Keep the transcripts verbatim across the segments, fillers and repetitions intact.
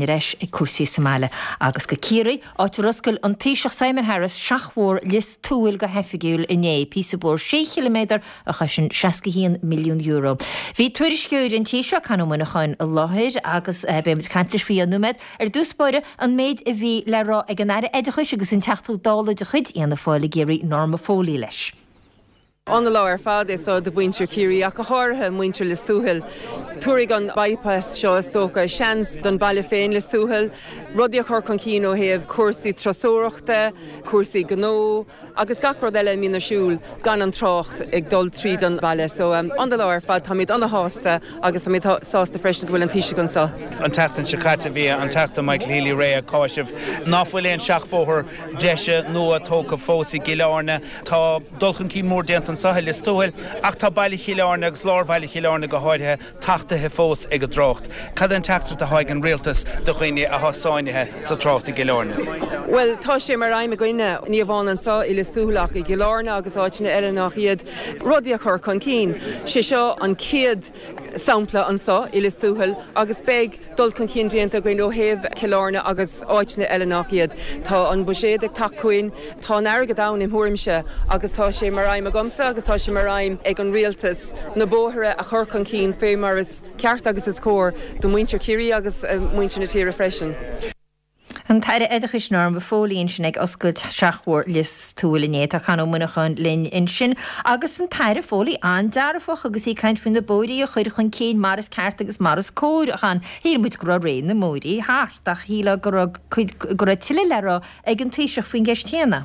Ar ais ag cúrsaí sa mbaile agus go Ciarraí, áit ar oscail an Taoiseach Simon Harris seachbhóthar Lios Tuathail go hoifigiúil inné, píosa bóthair sé chiliméadar a chosain seasca haon milliún euro. Bhí tuairisceoir an tí seo, Con Ó Muineacháin, i láthair agus beidh muid ag caint leis faoi i nóiméad. Ar dtús báire, an méid a bhí le rá ag an Aire Oideachais agus an Teachta Dála de chuid Fhianna Fáil i gCiarraí, Norma Foley leis. An-lá ar fad é seo do mhuintir Chiarraí ach go háirithe muintir Lios Tuathail. Tabharfaidh an bypass seo is dócha seans don baile féin Lios Tuathail, rudaí a chur chun cinn ó thaobh cúrsaí turasóireachta, cúrsaí gnó agus gach rud eile a mbíonn ar siúl gan an trácht ag dul tríd an baile. So an-lá ar fad, táimid an-shásta agus táimid sásta freisin go bhfuil an Taoiseach anseo. An tseachtain seo caite bhí an Teachta Michael Healy-Rae ag cáiseamh ná fuil aon seachbhóthar deise nua tógtha fós i gCill Airne. Tá dul chun cinn mór déanta anseo i Lios Tuathail ach tá baile Chill Airne agus lár bhaile Chill Airne go háirithe tachtaithe fós ag an dtrácht. Cad é an teachtaireacht atá ag an rialtas do dhaoine atá sáinnithe sa trácht i gCill Airne? Bhuel, tá sé mar aidhm againne, ní amháin anseo i Lios Tuathail ach i gCill Airne agus áiteanna eile nach iad, rudaí a chur chun cinn. Sé seo an chéad sampla anseo i Lios Tuathail agus beidh dul chun cinn déanta againn ó thaobh Chill Airne agus áiteanna eile nach iad. Tá an buiséad ag teacht chugainn, tá an airgead ann im thuairimse agus tá sé mar aidhm agamsa agus tá sé mar aidhm ag an rialtas na bóithre a chur chun cinn fé mar is ceart agus is cóir do mhuintir Chiarraí agus muintir na tíre freisin. An tAire Oideachais Norma Foley ansin ag oscailt Seachbhóthar Lios Tuathail inné. Tá Con Ó Muineacháin linn ansin agus an tAire Foley an-dearfach agus í ag caint faoi na bóithrí a chur chun cinn mar is ceart agus mar is cóir. A Chon, shíl muid go raibh ré na mbóithrí thart ach shílfeá go raibh cuid, go raibh tuilleadh le rá ag an Taoiseach faoin gceist chéanna.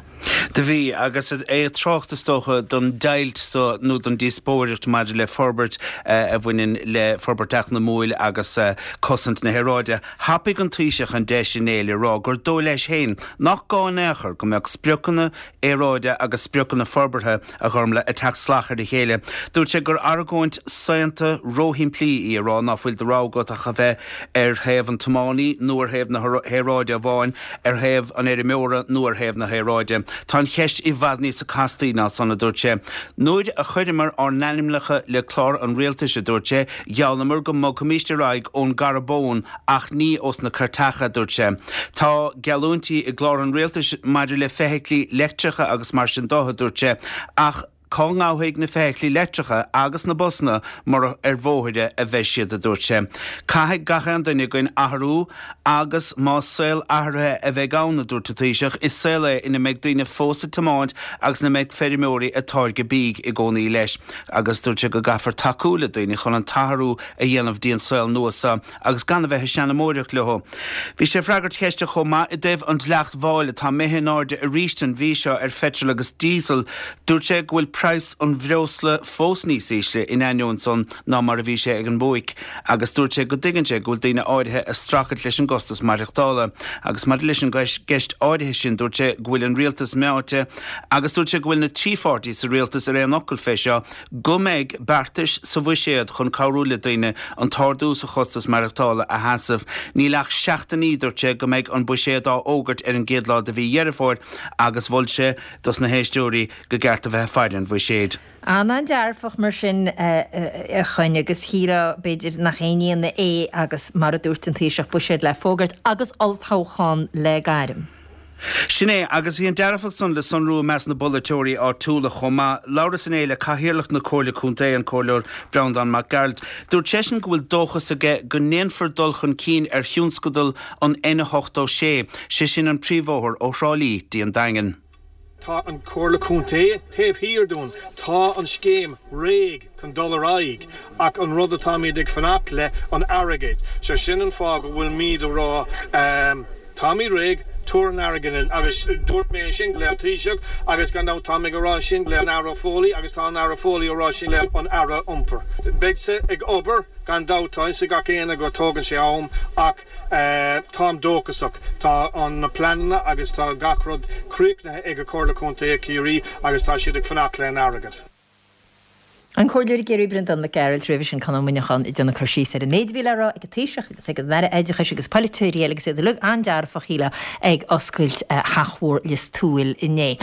Do bhí, agus é ag trácht is dócha don deighilt so nó don díospóireacht maidir le forbairt a bhaineann le forbairt eacnamúil agus cosaint na haeráide. Thapaigh an Taoiseach an deis inné le rá gur dóigh leis féin nach gá in aon chor go mbeadh spriocanna aeráide agus spriocanna forbartha, a Ghormlaith, ag teacht salach ar a chéile. Dúirt sé gur argóint saonta róshimplí í a rá ná fuil de rogha agat ach a bheith ar thaobh an tiománaí nó ar thaobh na haeráide amháin, ar thaobh an fheirmeora nó ar thaobh na haeráide. Tá an cheist i bhfad níosa castaí ná san, a dúirt sé. Nuair a chuireamar ár n-ainmneacha le clár an rialtais, a dúirt sé, gheallamar go mbogfaimíst ar aghaidh ón gcarbón ach ní ós na cairteacha, a dúirt sé. Tá geallúintí i gclár an rialtais maidir le feithiclí leictreacha agus mar sin de, a dúirt sé, ach cá ngabhfaidh na feithiclí leictreacha agus na busanna mura ar bhóithre a bheidh siad, a dúirt sé. Caithfidh gach aon duine againn athrú agus más saol athraithe a bheidh ann, a dúirt an Taoiseach, is saol é ina mbeidh daoine fós ag tiomáint agus ina mbeidh feirmeoirí ag táirgeadh bídh i gcónaí leis. Agus dúirt sé go gcaithfear tacú le daoine chun an t-athrú a dhéanamh dtí an saol nua seo. agus gan a bheith ag seanamóireacht leo. Bhí sé ag freagairt ceiste chomh maith i dtaobh an dleacht mháil atá imithe in airde arís an mhí seo ar pheitreal agus díosal. Dúirt sé go bhfuil praghas an bhreosla fós níos ísle in ainneoin san ná mar a bhí sé ag an mbuaic agus dúirt sé go dtuigeann sé go bhfuil daoine áirithe ag streachailt leis an gcostas maireachtála. Agus maidir leis an gceist áirithe sin dúirt sé go bhfuil an rialtas meáite agus dúirt sé go bhfuil na trí pháirtí sa rialtas ar aon fhocal fé seo Go mbeidh beartais sa bhuiséad chun cabhrú le daoine an t-ardú sa chostas maireachtála a sheasamh. Níl ach seachtainí, dúirt sé, go mbeidh an buiséad á fhógairt ar an gcéad lá de mhí Dheireadh Fómhair agus mhol sé dos na héisteoirí go gceart a bheith ag faire an bhuiséid. An-an-dearfach mar sin, a Choinn, agus shílfeá, b'fhéidir, nach aon ionadh é agus, mar a dúirt an Taoiseach, buiséad le fógairt agus olltoghchán le gairm. Sin é, agus bhí an dearfacht san le sonrú i measc na bpolaiteoirí áitiúla chomh maith. Labhras inné le Cathaoirleach na Comhairle Contae, an Comhairleoir Breandán Mac Gearailt. Dúirt seisean go bhfuil dóchas aige go ndéanfar dul chun cinn ar thionscadal an N ochtó sé, sé sin an príomhbhóthar ó Thrá Lí dtí an Daingean. Tá an Comhairle Contae taobh thiar dúinn, tá an scéim réidh chun dul ar aghaidh ach an rud atáimid ag fanacht le an airgead. So sin an fáth go bhfuilmid a rá táimid réidh, tabhair an airgead linn agus dúirt mé sin le an Taoiseach agus gan dabht táim ag a rá sin le an Aire Foley agus tá an Aire Foley a rá sin le an Aire Iompair. Beidh sé ag obair gan dabht, tá fhios ag gach éinne go tógann sé am ach Táim dóchasach. Tá na pleananna agus tá gach rud críochnaithe ag Comhairle Contae Chiarraí agus tá siad ag fanacht le an airgead. An Comhairleoir i gCiarraí Breandán Mac Gearailt, roimhe sin Conn Ó Muineacháin ag déanamh cur síos ar an méid a bhí le rá ag an Taoiseach agus ag an Aire Oideachais agus polaiteoirí eile agus iad uilig an-dearfach, shílfeá, ag oscailt Theach Mhór Lios Tuathail inné.